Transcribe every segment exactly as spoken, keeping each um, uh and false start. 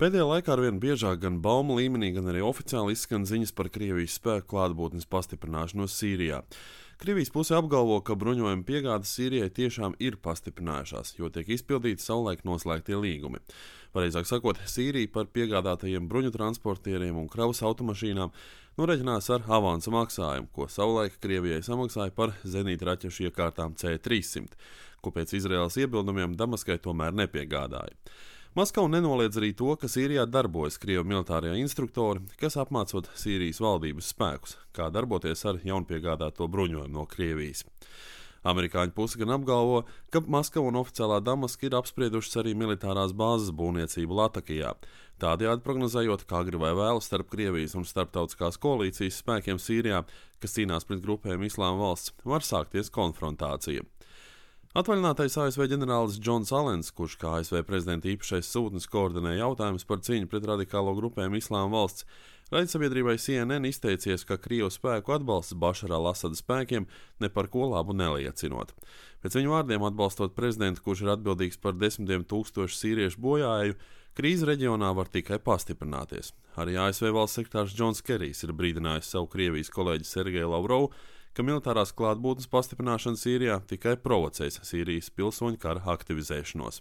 Pēdējā laikā arvien biežāk gan baumu līmenī, gan arī oficiāli izskan ziņas par Krievijas spēku klātbūtnes pastiprināšanos Sīrijā. Krievijas puse apgalvo, ka bruņojuma piegādes Sīrijai tiešām ir pastiprinājušās, jo tiek izpildīti savulaik noslēgtie līgumi. Pareizāk sakot, Sīrija par piegādātajiem bruņu transportieriem un kravas automašīnām noreķinās ar avansa maksājumu, ko savulaik Krievijai samaksāja par zenītraķešu iekārtām C trīssimt, ko pēc Izraēlas iebildumiem Damaskai tomēr nepiegādāja. Maskava nenoliedz arī to, ka Sīrijā darbojas Krievu militārie instruktori, kas apmācot Sīrijas valdības spēkus, kā darboties ar jaunpiegādāto bruņojumu no Krievijas. Amerikāņu puse gan apgalvo, ka Maskava un oficiālā Damaska ir apspriedušas arī militārās bāzes būvniecību Latakijā, tādējādi prognozējot, kā agri vai vēlu starp Krievijas un starptautiskās koalīcijas spēkiem Sīrijā, kas cīnās pret grupēm Islāma valsts, var sākties konfrontācija. Atvaļinātais A S V ģenerālis Džons Alens, kurš kā A S V prezidenta īpašais sūtnis koordinē jautājumus par cīņu pret radikālo grupēm Islāma valsts, raidsabiedrībai C N N izteicies, ka Krievu spēku atbalsts Bašara al-Asada spēkiem ne par ko labu neliecinot. Pēc viņu vārdiem atbalstot prezidentu, kurš ir atbildīgs par desmitiem tūkstošu sīriešu bojāēju, krīze reģionā var tikai pastiprināties. Arī A S V valsts sekretārs Džons Kerijs ir brīdinājis savu Krievijas kolēģi Sergeju Lavrovu, ka militārās klātbūtnes pastiprināšana Sīrijā tikai provocēs Sīrijas pilsoņu kara aktivizēšanos.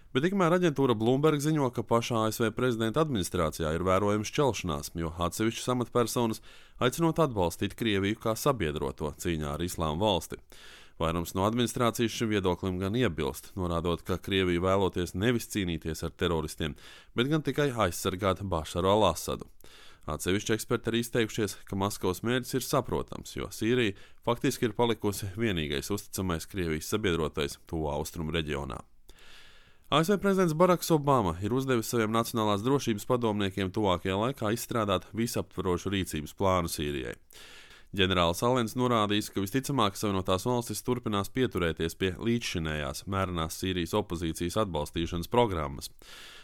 Bet tikmēr aģentūra Bloomberg ziņo, ka pašā A S V prezidenta administrācijā ir vērojama šķelšanās, jo atsevišķas amatpersonas aicinot atbalstīt Krieviju kā sabiedroto cīņā ar Islāma valsti. Vairums no administrācijas šim viedoklim gan iebilst, norādot, ka Krievija vēloties nevis cīnīties ar teroristiem, bet gan tikai aizsargāt Bašaru al-Asadu. Atsevišķi eksperti arī izteikušies, ka Maskavas mērķis ir saprotams, jo Sīrija faktiski ir palikusi vienīgais uzticamais Krievijas sabiedrotais Tuvā Austrumu reģionā. A S V prezidents Baraks Obama ir uzdevis saviem nacionālās drošības padomniekiem tuvākajā laikā izstrādāt visaptverošu rīcības plānu Sīrijai. Ģenerālis Alens norādījis, ka visticamāk Savienotās valstis turpinās pieturēties pie līdzšinējās mērenās Sīrijas opozīcijas atbalstīšanas programmas.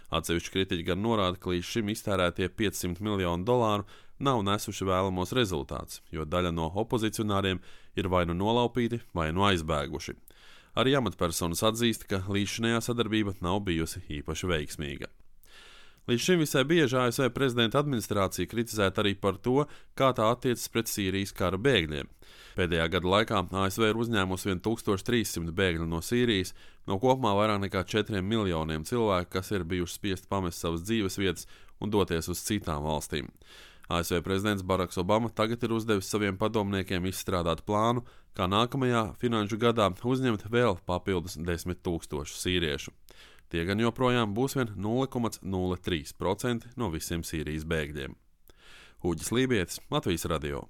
Atsevišķi kritiķi gan norāda, ka līdz šim iztērētie piecsimt miljoni dolāru nav nesuši vēlamos rezultātus, jo daļa no opozicionāriem ir vai nu nolaupīti, vai nu aizbēguši. Arī amatpersonas atzīst, ka līdzšinējā sadarbība nav bijusi īpaši veiksmīga. Līdz šim visai bieži A S V prezidenta administrācija kritizēta arī par to, kā tā attiecas pret Sīrijas kara bēgļiem. Pēdējā gada laikā A S V ir uzņēmusi vien tūkstoš trīs simti bēgļu no Sīrijas, no kopumā vairāk nekā četriem miljoniem cilvēku, kas ir bijuši spiesti pamest savas dzīves vietas un doties uz citām valstīm. A S V prezidents Baraks Obama tagad ir uzdevis saviem padomniekiem izstrādāt plānu, kā nākamajā finanšu gadā uzņemt vēl papildus desmit tūkstošu sīriešu. Tie gan joprojām būs vien nulle komats nulle trīs procenti no visiem Sīrijas bēgļiem. Uģis Lībietis, Latvijas radio.